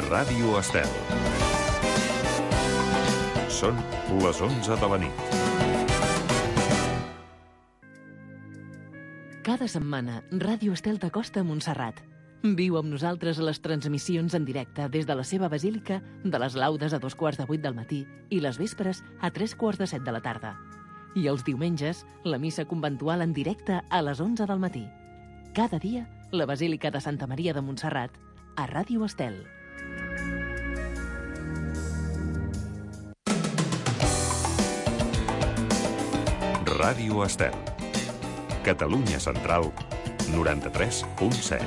Ràdio Estel. Són les 11 de la nit. Cada setmana, Ràdio Estel t'acosta a Montserrat. Viu amb nosaltres a les transmissions en directe des de la seva basílica de les laudes a 7:15 del matí i les vespres a 7:45 de la tarda. I els diumenges, la missa conventual en directe a les 11 del matí. Cada dia, la Basílica de Santa Maria de Montserrat, a Ràdio Estel. Ràdio Estel. Catalunya Central, 93.7.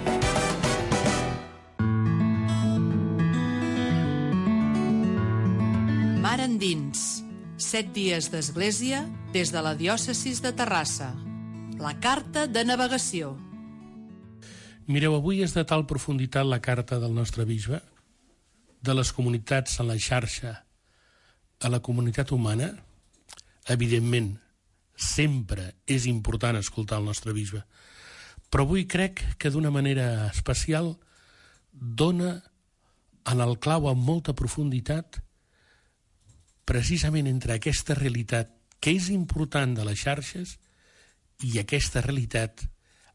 Mar endins. 7 dies d'església des de la diòcesis de Terrassa. La carta de navegació. Mireu, avui és de tal profunditat la carta del nostre bisbe, de les comunitats en la xarxa a la comunitat humana. Evidentment, sempre és important escoltar el nostre bisbe, però avui crec que d'una manera especial dona en el clau amb molta profunditat precisament entre aquesta realitat que és important de les xarxes i aquesta realitat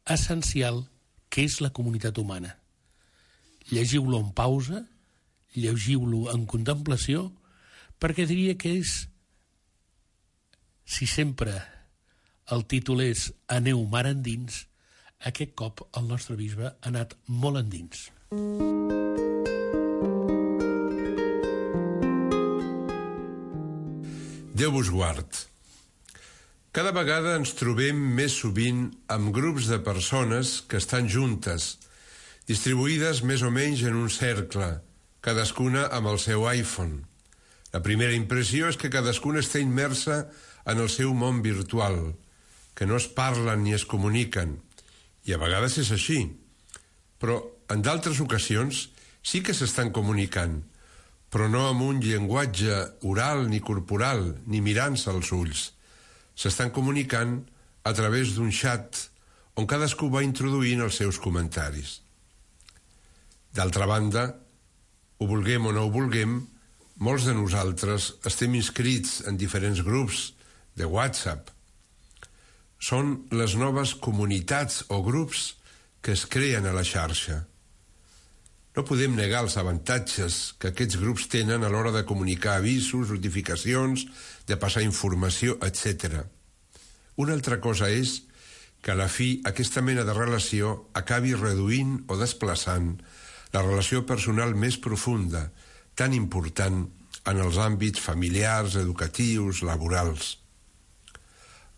essencial que és la comunitat humana. Llegiu-lo en pausa, llegiu-lo en contemplació, perquè diria que és, si sempre el títol és Aneu mar endins, aquest cop el nostre bisbe ha anat molt endins. Déu vos guard. Cada vegada ens trobem més sovint amb grups de persones que estan juntes, distribuïdes més o menys en un cercle, cadascuna amb el seu iPhone. La primera impressió és que cadascuna està immersa en el seu món virtual, que no es parlen ni es comuniquen, i a vegades és així. Però en d'altres ocasions sí que s'estan comunicant, però no amb un llenguatge oral ni corporal, ni mirant-se als ulls. S'estan comunicant a través d'un xat on cadascú va introduint els seus comentaris. D'altra banda, ho vulguem o no ho vulguem, molts de nosaltres estem inscrits en diferents grups de WhatsApp. Són les noves comunitats o grups que es creen a la xarxa. No podem negar els avantatges que aquests grups tenen a l'hora de comunicar avisos, notificacions, de passar informació, etc. Una altra cosa és que a la fi aquesta mena de relació acabi reduint o desplaçant la relació personal més profunda, tan important en els àmbits familiars, educatius, laborals.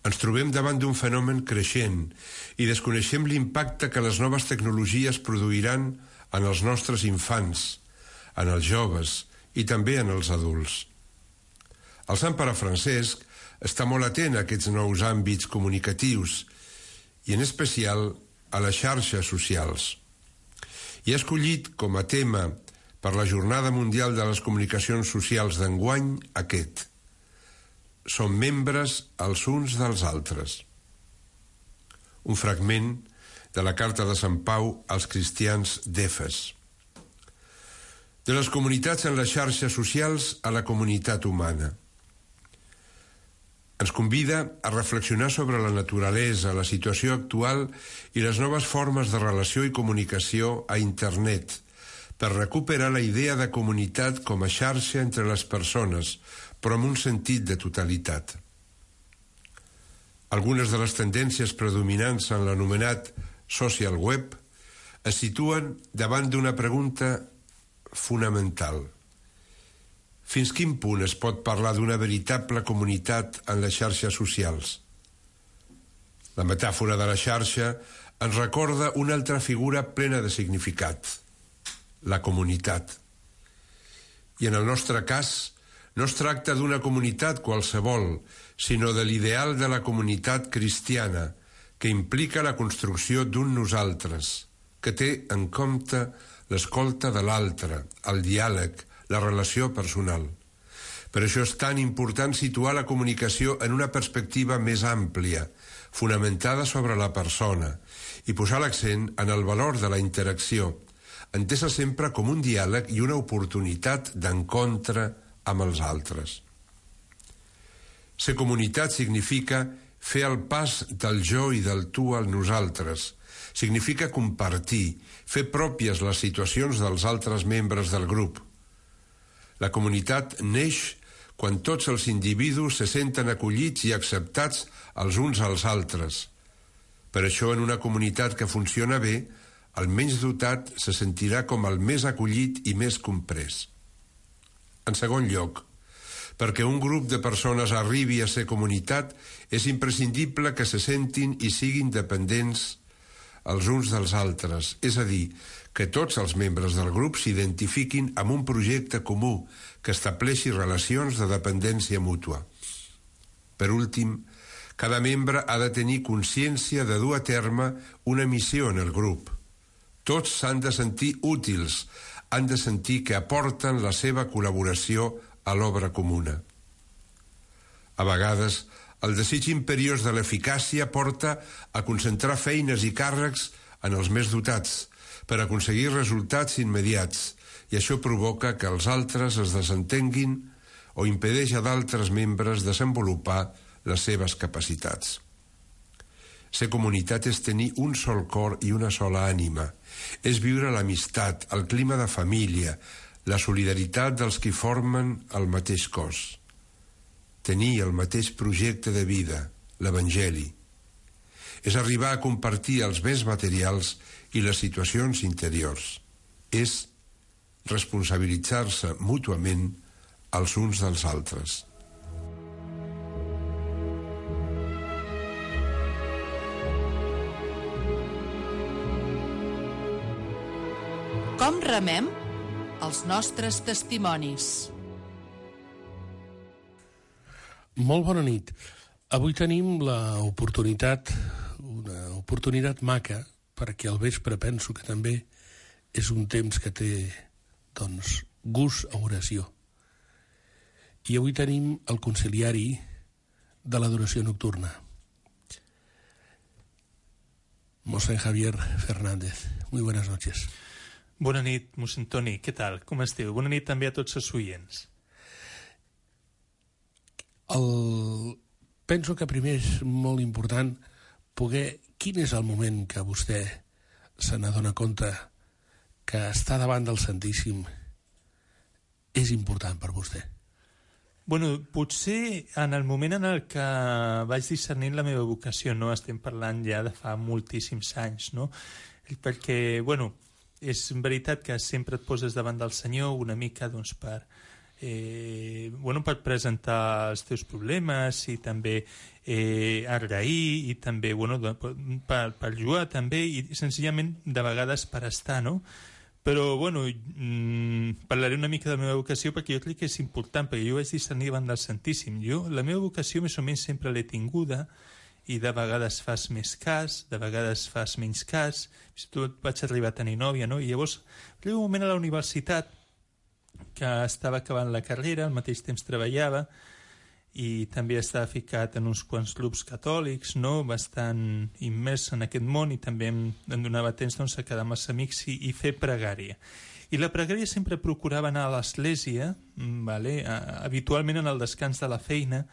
Ens trobem davant d'un fenomen creixent i desconeixem l'impacte que les noves tecnologies produiran en els nostres infants, en els joves i també en els adults. El Sant Pare Francesc està molt atent a aquests nous àmbits comunicatius i en especial a les xarxes socials. I ha escollit com a tema per la Jornada Mundial de les Comunicacions Socials d'enguany aquest: som membres els uns dels altres. Un fragment de la carta de Sant Pau als cristians d'Efes. De les comunitats en les xarxes socials a la comunitat humana. Ens convida a reflexionar sobre la naturalesa, la situació actual i les noves formes de relació i comunicació a internet, per recuperar la idea de comunitat com a xarxa entre les persones, però amb un sentit de totalitat. Algunes de les tendències predominants en l'anomenat social web es situen davant d'una pregunta fonamental. Fins quin punt es pot parlar d'una veritable comunitat en les xarxes socials? La metàfora de la xarxa ens recorda una altra figura plena de significat: la comunitat. I en el nostre cas, no es tracta d'una comunitat qualsevol, sinó de l'ideal de la comunitat cristiana, que implica la construcció d'un nosaltres, que té en compte l'escolta de l'altre, el diàleg, la relació personal. Per això és tan important situar la comunicació en una perspectiva més àmplia, fonamentada sobre la persona, i posar l'accent en el valor de la interacció, entesa sempre com un diàleg i una oportunitat d'encontre amb els altres. Ser comunitat significa fer el pas del jo i del tu al nosaltres. Significa compartir, fer pròpies les situacions dels altres membres del grup. La comunitat neix quan tots els individus se senten acollits i acceptats els uns als altres. Per això, en una comunitat que funciona bé, el menys dotat se sentirà com el més acollit i més comprès. En segon lloc, perquè un grup de persones arribi a ser comunitat, és imprescindible que se sentin i siguin dependents els uns dels altres, és a dir, que tots els membres del grup s'identifiquin amb un projecte comú que estableixi relacions de dependència mútua. Per últim, cada membre ha de tenir consciència de dur a terme una missió en el grup. Tots s'han de sentir útils, han de sentir que aporten la seva col·laboració a l'obra comuna. A vegades, el desig imperiós de l'eficàcia porta a concentrar feines i càrrecs en els més dotats per aconseguir resultats immediats, i això provoca que els altres es desentenguin o impedeix a d'altres membres desenvolupar les seves capacitats. Ser comunitat és tenir un sol cor i una sola ànima. És viure l'amistat, el clima de família, la solidaritat dels qui formen el mateix cos. Tenir el mateix projecte de vida, l'Evangeli. És arribar a compartir els béns materials i les situacions interiors. És responsabilitzar-se mútuament els uns dels altres. Com remem? Els nostres testimonis. Molt bona nit. Avui tenim l'oportunitat, una oportunitat maca, perquè al vespre penso que també és un temps que té, doncs, gust a oració. I avui tenim el conciliari de l'adoració nocturna. Mossèn Javier Fernández, muy buenas noches. Bona nit, mossèn Toni, què tal? Com esteu? Bona nit també a tots els oients. Penso que primer és molt important poder... Quin és el moment que vostè se n'adona compte que estar davant del Santíssim és important per vostè? Bueno, potser en el moment en el que vaig discernir la meva vocació, no? Estem parlant ja de fa moltíssims anys, no? Perquè, bueno, és veritat que sempre et poses davant del Senyor una mica, doncs, per presentar els teus problemes i també agrair i també per jugar també i senzillament de vegades per estar, no? Però parlaré una mica de la meva vocació perquè jo crec que és important, perquè jo vaig discernir davant del Santíssim. La meva vocació més o menys sempre l'he tinguda i de vegades fas més cas, de vegades fas menys cas. Fins i tot vaig arribar a tenir nòvia, no? I llavors hi va un moment a la universitat que estava acabant la carrera, al mateix temps treballava i també estava ficat en uns quants grups catòlics, no? Bastant immers en aquest món, i també em donava temps, doncs, a quedar amb els amics i fer pregària. I la pregària sempre procurava anar a l'església, habitualment en el descans de la feina,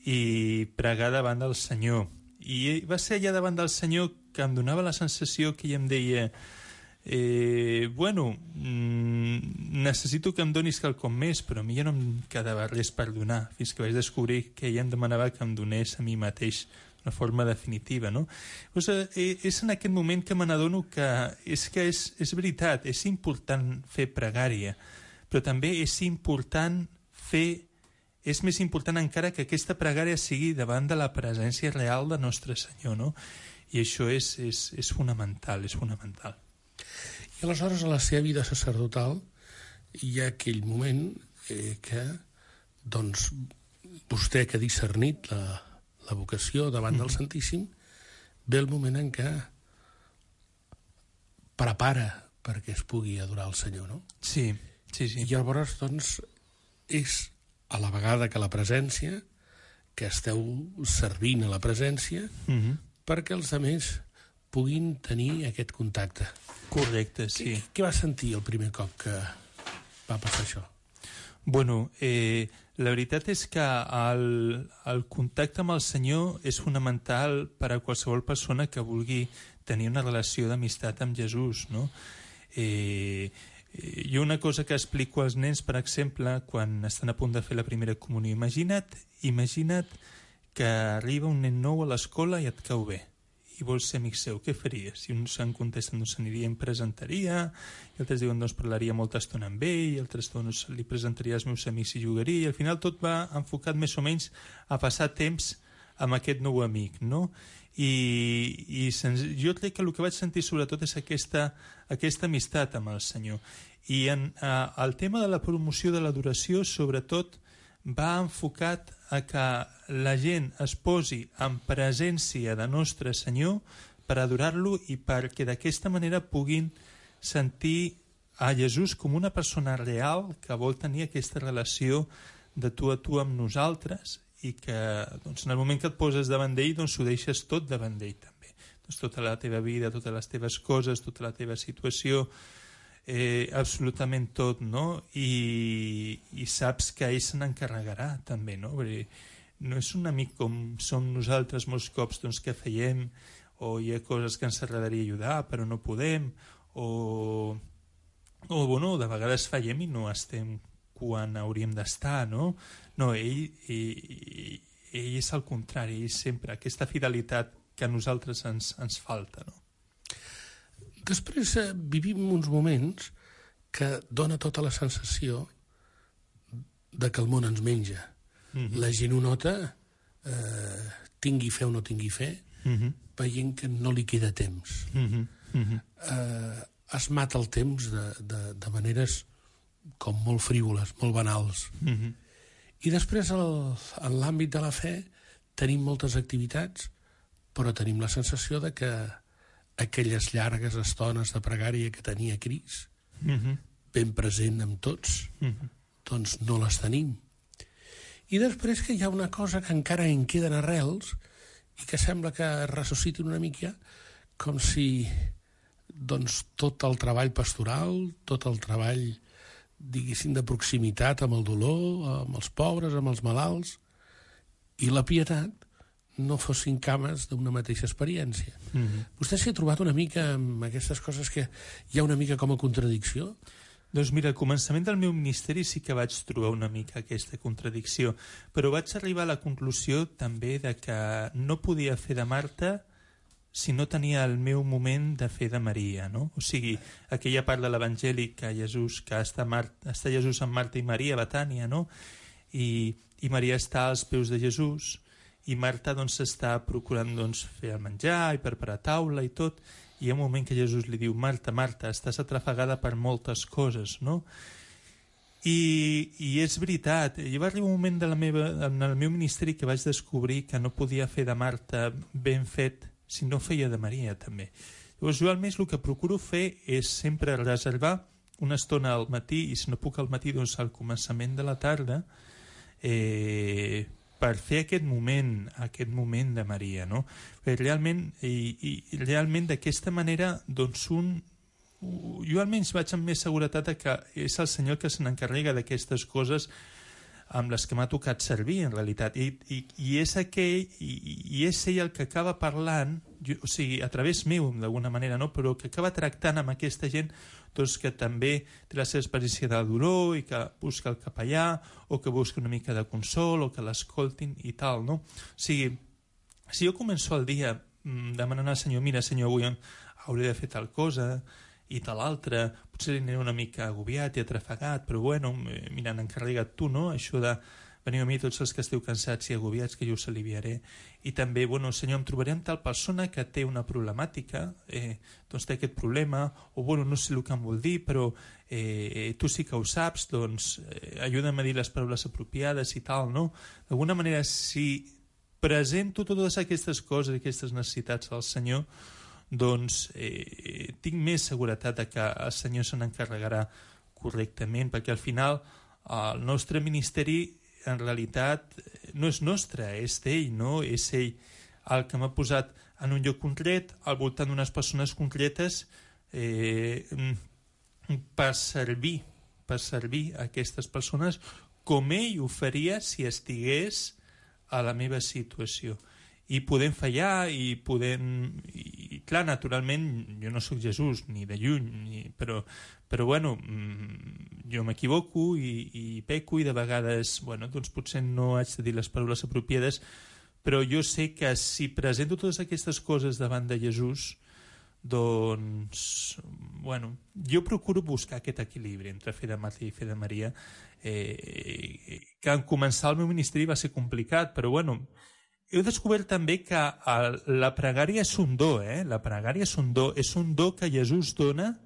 i pregar davant del Senyor. I va ser allà davant del Senyor que em donava la sensació que ell em deia necessito que em donis quelcom més, però a mi ja no em quedava res per donar, fins que vaig descobrir que ella em demanava que em donés a mi mateix una forma definitiva, no? Doncs, és en aquest moment que me n'adono que és veritat, és important fer pregària, però també és més important encara que aquesta pregària sigui davant de la presència real de Nostre Senyor, no? I això és fonamental, és fonamental. I aleshores a la seva vida sacerdotal hi ha aquell moment que, doncs, vostè que ha discernit la vocació davant del Santíssim, ve el moment en què prepara perquè es pugui adorar el Senyor, no? Sí. I llavors, doncs, és a la vegada que la presència, que esteu servint a la presència, perquè els altres puguin tenir aquest contacte. Correcte, sí. Què va sentir el primer cop que va passar això? Bueno, la veritat és que el contacte amb el Senyor és fonamental per a qualsevol persona que vulgui tenir una relació d'amistat amb Jesús, no? Jo una cosa que explico als nens, per exemple, quan estan a punt de fer la primera comunió, imagina't que arriba un nen nou a l'escola i et cau bé i vols ser amic seu, què faries? I uns en contesten, doncs s'aniria, em presentaria, i altres diuen, doncs parlaria molta estona amb ell, i altres doncs li presentaria als meus amics i jugaria, i al final tot va enfocat més o menys a passar temps amb aquest nou amic, no? Jo crec que el que vaig sentir sobretot és aquesta amistat amb el Senyor. I el tema de la promoció de l'adoració sobretot va enfocat a que la gent es posi en presència de Nostre Senyor per adorar-lo i perquè d'aquesta manera puguin sentir a Jesús com una persona real que vol tenir aquesta relació de tu a tu amb nosaltres i que doncs, en el moment que et poses davant d'ell doncs ho deixes tot davant d'ell també. Doncs, tota la teva vida, totes les teves coses, tota la teva situació, absolutament tot, no? I saps que ell se n'encarregarà també, no? Perquè no és un amic com som nosaltres molts cops doncs, que feiem o hi ha coses que ens agradaria ajudar però no podem o bueno, de vegades fallem i no estem quan hauríem d'estar, no? No, ell és al contrari, ell sempre aquesta fidelitat que a nosaltres ens falta, no? Després vivim uns moments que dona tota la sensació de que el món ens menja. La gent ho nota, tingui fe o no tingui fe, veient que no li queda temps. Es mata el temps de maneres com molt frívoles, molt banals. I després, en l'àmbit de la fe, tenim moltes activitats, però tenim la sensació de que aquelles llargues estones de pregària que tenia Cris, ben present amb tots, doncs no les tenim. I després que hi ha una cosa que encara en queden arrels i que sembla que ressuscitin una mica, com si doncs, tot el treball pastoral, tot el treball, diguéssim, de proximitat amb el dolor, amb els pobres, amb els malalts, i la pietat no fossin cames d'una mateixa experiència. Vostè s'hi ha trobat una mica amb aquestes coses que hi ha una mica com a contradicció? Doncs mira, al començament del meu ministeri sí que vaig trobar una mica aquesta contradicció, però vaig arribar a la conclusió també de que no podia fer de Marta si no tenia el meu moment de fer de Maria, no? O sigui, aquella part de l'Evangeli que està Jesús amb Marta i Maria a Betània, no? I Maria està als peus de Jesús i Marta doncs està procurant doncs, fer el menjar i preparar taula i tot, i hi ha un moment que Jesús li diu, Marta, Marta, estàs atrafegada per moltes coses, no? I és veritat, hi va arribar un moment en el meu ministeri que vaig descobrir que no podia fer de Marta ben fet si no feia de Maria també. Llavors jo almenys el que procuro fer és sempre reservar una estona al matí, i si no puc al matí doncs al començament de la tarda, per fer aquest moment de Maria, no? Perquè realment d'aquesta manera doncs jo almenys vaig amb més seguretat que és el Senyor que se n'encarrega d'aquestes coses amb les que m'ha tocat servir en realitat i és ell el que acaba parlant, o sigui, a través meu d'alguna manera, no? Però que acaba tractant amb aquesta gent doncs, que també té la seva experiència de dolor i que busca el capellà o que busca una mica de consol o que l'escoltin i tal, no? O sigui, si jo començo el dia demanant al Senyor, mira Senyor, avui hauré de fer tal cosa i tal altra, potser aniré una mica agobiat i atrafegat, però bueno, mira, n'encarrega't tu, no? Això de veniu a mi tots els que esteu cansats i agobiats, que jo us aliviaré. I també, bueno, Senyor, em trobaré amb tal persona que té una problemàtica, doncs té aquest problema, o bueno, no sé el que em vol dir, però tu sí que ho saps, doncs ajuda'm a dir les paraules apropiades i tal, no? D'alguna manera, si presento totes aquestes coses, aquestes necessitats al Senyor, doncs tinc més seguretat que el Senyor se n'encarregarà correctament, perquè al final el nostre ministeri en realitat no és nostre, és d'ell, no? És ell el que m'ha posat en un lloc concret, al voltant d'unes persones concretes, per servir a aquestes persones com ell ho faria si estigués a la meva situació. I podem fallar i clar, naturalment jo no sóc Jesús ni de lluny, però bueno, jo m'equivoco i peco, i de vegades doncs potser no haig de dir les paraules apropiades, però jo sé que si presento totes aquestes coses davant de Jesús, doncs jo procuro buscar aquest equilibri entre fe de Marta i fe de Maria, que en començar el meu ministeri va ser complicat, però he descobert també que la pregària és un do, la pregària és un do que Jesús dona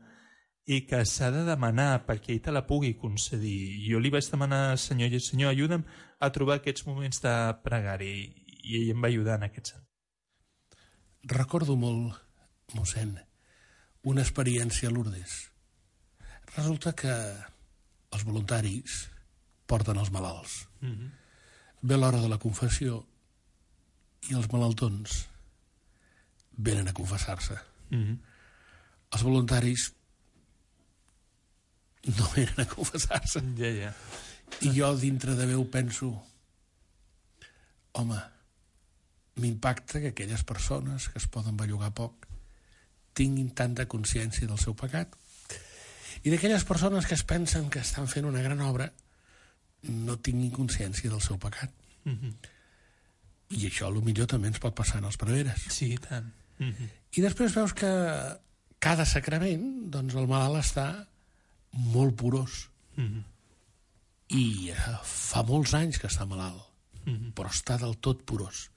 i que s'ha de demanar perquè ell te la pugui concedir. Jo li vaig demanar al Senyor, Senyor, ajuda'm a trobar aquests moments de pregària, i ell em va ajudar en aquest sentit. Recordo molt, mossèn, una experiència a Lourdes. Resulta que els voluntaris porten els malalts. Ve l'hora de la confessió i els malaltons venen a confessar-se. Els voluntaris no venen a confessar-se. I jo dintre de meu penso, home, m'impacta que aquelles persones que es poden bellugar poc tinguin tanta consciència del seu pecat, i d'aquelles persones que es pensen que estan fent una gran obra no tinguin consciència del seu pecat. I això potser també ens pot passar en els preveres. Sí, i tant. I després veus que cada sacrament, doncs el malalt està molt porós. I fa molts anys que està malalt, però està del tot porós.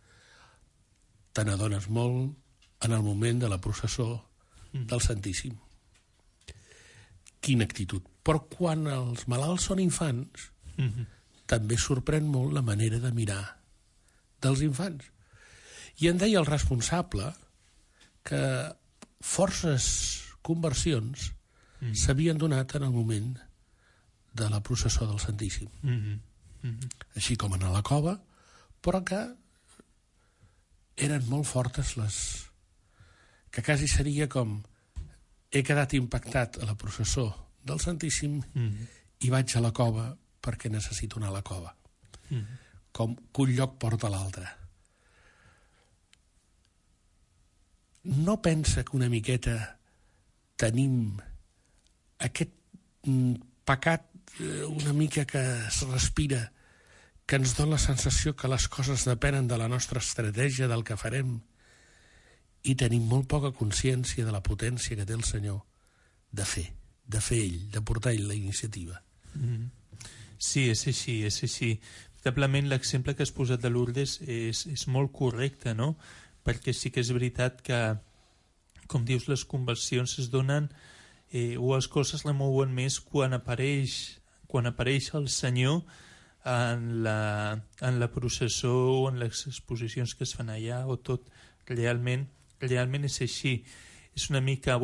Te n'adones molt en el moment de la processó del Santíssim. Quina actitud. Però quan els malalts són infants, també sorprèn molt la manera de mirar dels infants. I em deia el responsable que forces conversions s'havien donat en el moment de la processó del Santíssim. Així com en la cova, però que eren molt fortes que quasi seria com he quedat impactat a la processó del Santíssim i vaig a la cova perquè necessito anar a la cova. Com que un lloc porta a l'altre. No pensa que una miqueta tenim aquest pecat una mica que es respira, que ens dona la sensació que les coses depenen de la nostra estratègia, del que farem, i tenim molt poca consciència de la potència que té el Senyor de fer ell, de portar ell la iniciativa. Sí, és així. Veritablement l'exemple que has posat de Lourdes és molt correcte, no? Perquè sí que és veritat que, com dius, les conversions es donen o les coses la mouen més quan apareix el Senyor en la processó o en les exposicions que es fan allà, o tot realment és així. És una mica,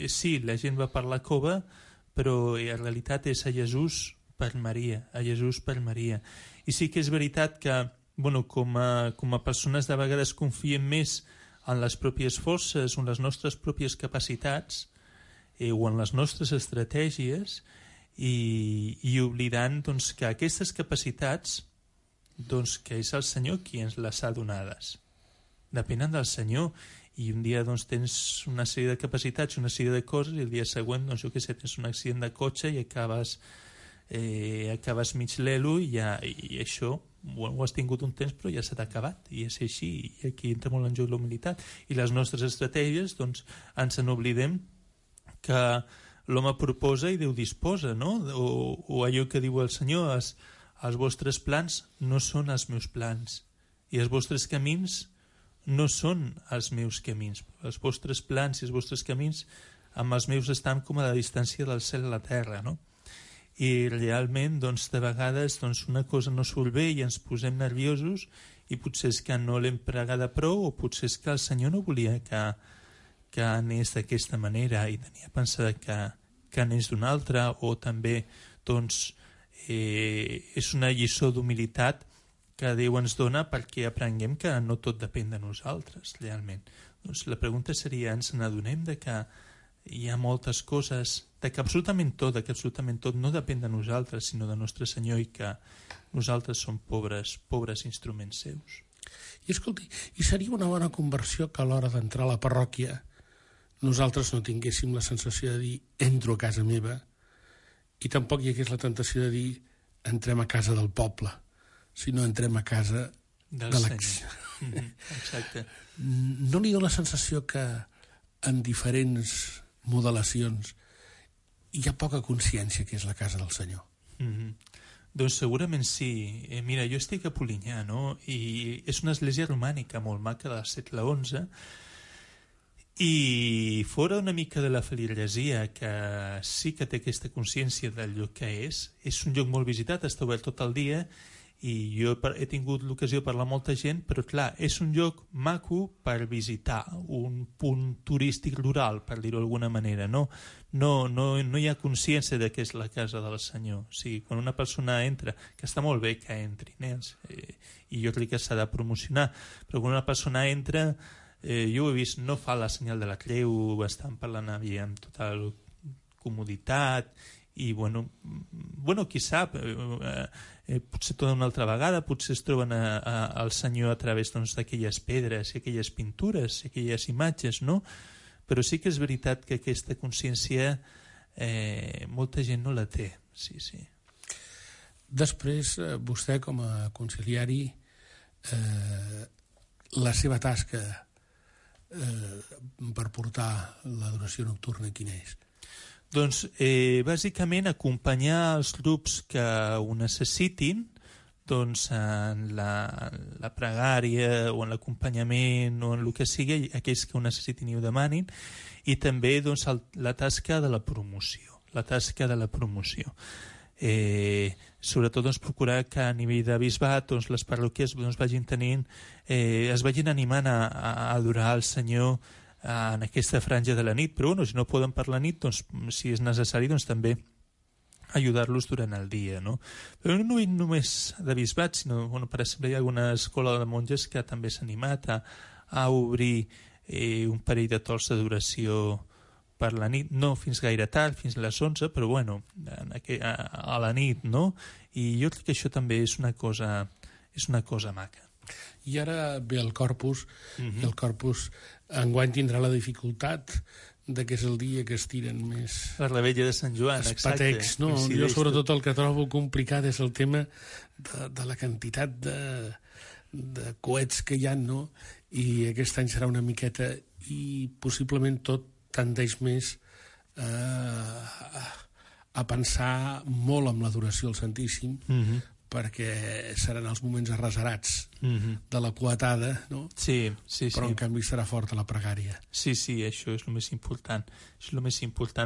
sí, la gent va per la cova, però en realitat és a Jesús per Maria, I sí que és veritat que, com a persones de vegades confiem més en les pròpies forces o en les nostres pròpies capacitats o en les nostres estratègies i oblidant que aquestes capacitats que és el Senyor qui ens les ha donades. Depenen del Senyor, i un dia tens una sèrie de capacitats, una sèrie de coses, i el dia següent, tens un accident de cotxe i acabes mig lelo, i això ho has tingut un temps però ja s'ha acabat, i és així, i aquí entra molt en joc la humilitat i les nostres estratègies. Ens n'oblidem que l'home proposa i Déu disposa, no? O allò que diu el Senyor, els vostres plans no són els meus plans i els vostres camins no són els meus camins. Els vostres plans i els vostres camins amb els meus estan com a la distància del cel a la terra, no? I realment, de vegades, una cosa no surt bé i ens posem nerviosos, i potser és que no l'hem pregada prou, o potser és que el Senyor no volia que anés d'aquesta manera i tenia pensat que anés d'una altra, o també és una lliçó d'humilitat que Déu ens dona perquè aprenguem que no tot depèn de nosaltres, realment. Doncs la pregunta seria, ens n'adonem de que hi ha moltes coses, de que absolutament tot no depèn de nosaltres, sinó de Nostre Senyor, i que nosaltres som pobres instruments seus. I escolti, i seria una bona conversió que a l'hora d'entrar a la parròquia nosaltres no tinguéssim la sensació de dir entro a casa meva, i tampoc hi hagués la tentació de dir entrem a casa del poble, sinó entrem a casa Del de Senyor. Exacte. No li dona la sensació que en diferents modelacions hi ha poca consciència que és la casa del Senyor? Doncs segurament sí. Mira, jo estic a Polinyà, no? I és una església romànica molt maca del segle XI, i fora una mica de la feligresia, que sí que té aquesta consciència del lloc que és un lloc molt visitat, està obert tot el dia, i jo he tingut l'ocasió de parlar amb molta gent, però clar, és un lloc maco per visitar, un punt turístic rural, per dir-ho d'alguna manera, no hi ha consciència de que és la casa del Senyor. O sigui, quan una persona entra, que està molt bé que entrin, i jo crec que s'ha de promocionar, però quan una persona entra, jo ho he vist, no fa la senyal de la creu, estan parlant amb total comoditat, i bueno, qui sap, potser tota una altra vegada, potser es troben al Senyor a través d'aquelles pedres i aquelles pintures i aquelles imatges, no? Però sí que és veritat que aquesta consciència molta gent no la té, sí. Després, vostè com a conciliari, la seva tasca per portar l'adoració nocturna quina és? Doncs bàsicament acompanyar els grups que ho necessitin, doncs en la pregària o en l'acompanyament o en el que sigui, aquells que ho necessitin i ho demanin, i també doncs la tasca de la promoció. Sobretot doncs, procurar que a nivell de bisbat les parròquies vagin tenint, es vagin animant a adorar el Senyor en aquesta franja de la nit, però si no poden per la nit, doncs, si és necessari, doncs també ajudar-los durant el dia, no? Però no només de bisbat, sinó, per exemple, hi ha alguna escola de monges que també s'ha animat a obrir un parell de torns d'adoració per la nit, no fins gaire tard, fins a les 11, però a la nit, no? I jo crec que això també és una cosa maca. I ara ve el Corpus, i el Corpus enguany tindrà la dificultat de que és el dia que es tiren més... La revetlla de Sant Joan, exacte. Patecs, no? Jo sobretot el que trobo complicat és el tema de la quantitat de coets que hi ha, no? I aquest any serà una miqueta, i possiblement tot tendeix més a pensar molt en l'adoració al Santíssim, perquè seran els moments arrasarats de la coetada, no? Sí. Però en canvi serà forta la pregària. Sí, això és el més important.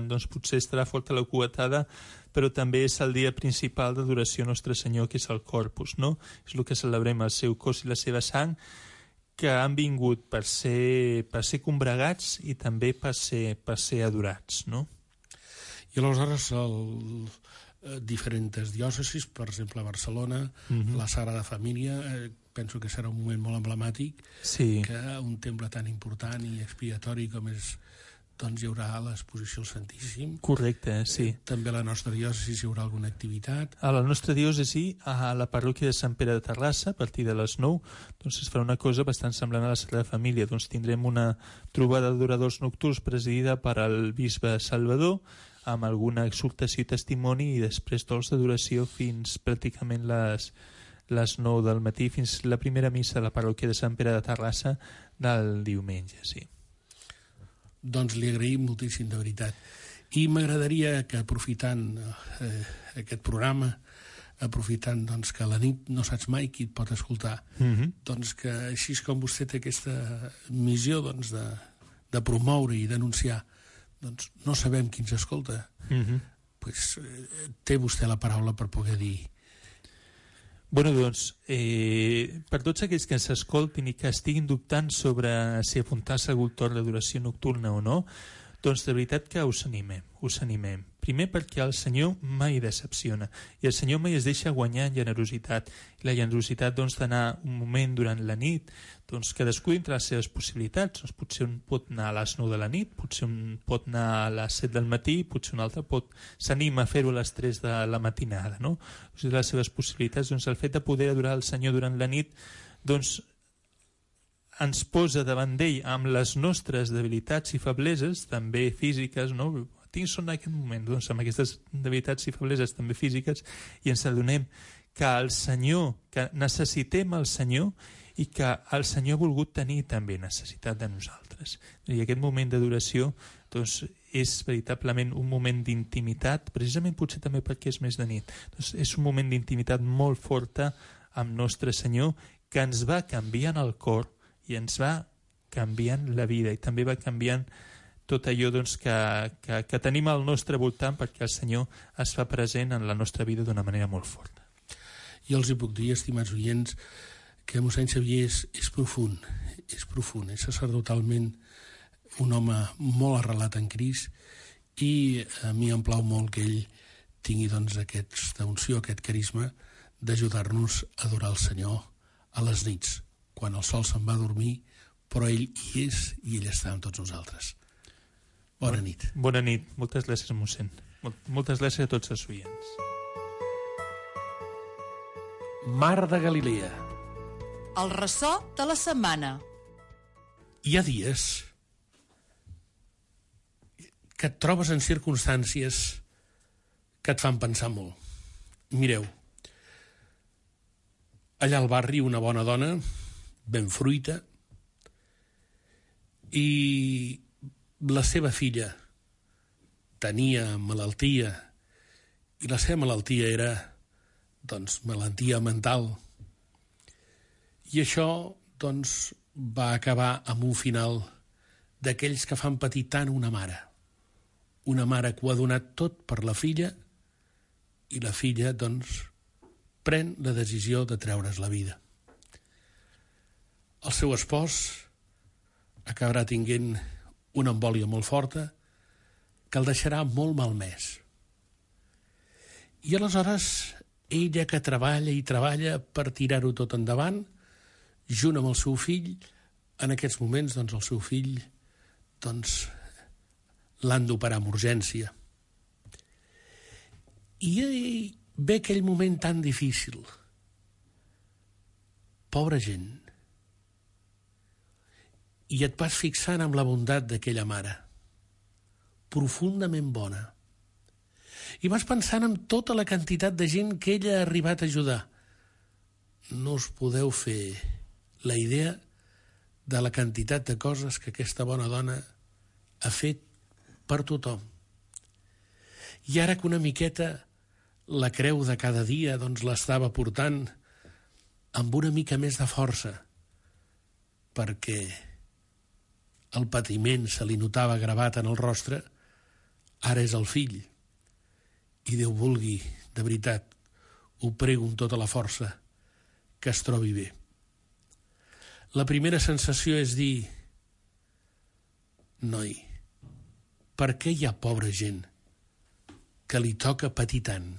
Doncs potser estarà forta la coetada, però també és el dia principal d'adoració a Nostre Senyor, que és el Corpus, no? És el que celebrem, el seu cos i la seva sang, que han vingut per ser combregats i també per ser adorats, no? I aleshores diferents diòcesis, per exemple a Barcelona, la Sagrada Família, penso que serà un moment molt emblemàtic, que un temple tan important i expiatori com és, doncs hi haurà l'exposició al Santíssim. Correcte, sí. També a la nostra diòcesi hi haurà alguna activitat. A la nostra diòcesi, a la parròquia de Sant Pere de Terrassa, a partir de les 9, doncs es farà una cosa bastant semblant a la Sagrada Família. Doncs tindrem una trobada d'adoradors nocturns presidida per el bisbe Salvador, amb alguna exhortació i testimoni, i després torns d'adoració fins pràcticament les 9 del matí, fins la primera missa a la parròquia de Sant Pere de Terrassa del diumenge, sí. Doncs li agraïm moltíssim, de veritat. I m'agradaria que, aprofitant aquest programa, aprofitant doncs, que a la nit no saps mai qui et pot escoltar, doncs que així com vostè té aquesta missió doncs, de promoure i denunciar, doncs no sabem qui ens escolta, pues, té vostè la paraula per poder dir. Doncs, per tots aquells que ens escoltin i que estiguin dubtant sobre si apuntar-se a algun torn d'adoració nocturna o no, Doncs de veritat que us animem. Primer perquè el Senyor mai decepciona i el Senyor mai es deixa guanyar en generositat. I la generositat d'anar un moment durant la nit, cadascú dintre les seves possibilitats. Potser un pot anar a les 9 de la nit, potser un pot anar a les 7 del matí, potser un altre s'anima a fer-ho a les 3 de la matinada, no? Les seves possibilitats, el fet de poder adorar el Senyor durant la nit, ens posa davant d'ell amb les nostres debilitats i febleses, també físiques, no? Tinc son en aquest moment, amb aquestes debilitats i febleses també físiques, i ens adonem que el Senyor, que necessitem el Senyor i que el Senyor ha volgut tenir també necessitat de nosaltres. I aquest moment d'adoració és veritablement un moment d'intimitat, precisament potser també perquè és més de nit. És un moment d'intimitat molt forta amb nostre Senyor que ens va canviant el cor i ens va canviant la vida i també va canviant tot allò que tenim al nostre voltant, perquè el Senyor es fa present en la nostra vida d'una manera molt forta. Jo els hi puc dir, estimats oients, que mossèn Xavier és profund, és sacerdotalment un home molt arrelat en Crist i a mi em plau molt que ell tingui aquesta unció, aquest carisma d'ajudar-nos a adorar el Senyor a les nits, quan el sol se'n va a dormir, però ell hi és i ell està amb tots nosaltres. Bona nit. Bona nit. Moltes gràcies, mossèn. Moltes gràcies a tots els oients. Mar de Galilea. El ressò de la setmana. Hi ha dies que et trobes en circumstàncies que et fan pensar molt. Mireu, allà al barri una bona dona, ben fruita, i la seva filla tenia malaltia, i la seva malaltia era, malaltia mental. I això, va acabar amb un final d'aquells que fan patir tant una mare que ho ha donat tot per la filla, i la filla, pren la decisió de treure's la vida. El seu espòs acabarà tinguent una embòlia molt forta que el deixarà molt malmès. I aleshores ella, que treballa i treballa per tirar-ho tot endavant, junt amb el seu fill, en aquests moments el seu fill l'han d'operar amb urgència. I ve aquell moment tan difícil. Pobra gent. I et vas fixant amb la bondat d'aquella mare, profundament bona. I vas pensant en tota la quantitat de gent que ella ha arribat a ajudar. No us podeu fer la idea de la quantitat de coses que aquesta bona dona ha fet per tothom. I ara que una miqueta la creu de cada dia l'estava portant amb una mica més de força, perquè el patiment se li notava gravat en el rostre, ara és el fill. I Déu vulgui, de veritat, ho prego amb tota la força, que es trobi bé. La primera sensació és dir: noi, per què hi ha pobra gent que li toca patir tant?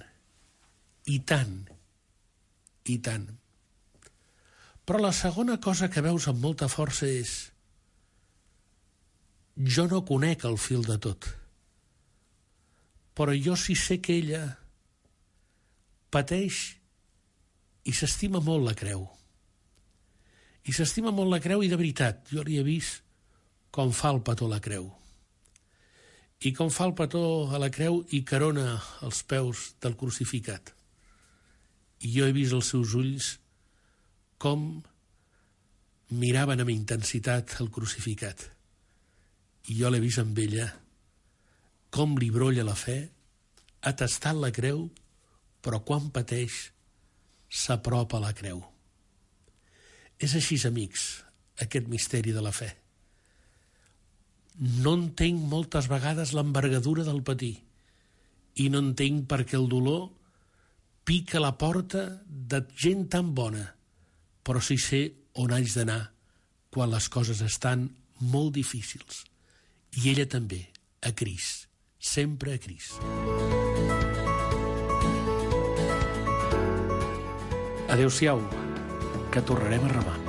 I tant, i tant. Però la segona cosa que veus amb molta força és: jo no conec el fil de tot, però jo sí sé que ella pateix i s'estima molt la creu. I s'estima molt la creu, i de veritat, jo li he vist com fa el petó a la creu. I com fa el petó a la creu i carona els peus del crucificat. I jo he vist els seus ulls com miraven amb intensitat el crucificat. I jo l'he vist amb ella com li brolla la fe, ha tastat la creu, però quan pateix s'apropa a la creu. És així, amics, aquest misteri de la fe. No entenc moltes vegades l'envergadura del patir, i no entenc per què el dolor pica la porta de gent tan bona, però sí sé on haig d'anar quan les coses estan molt difícils. I ella també a Crist, sempre a Crist. Adéu-siau, que tornarem a remar.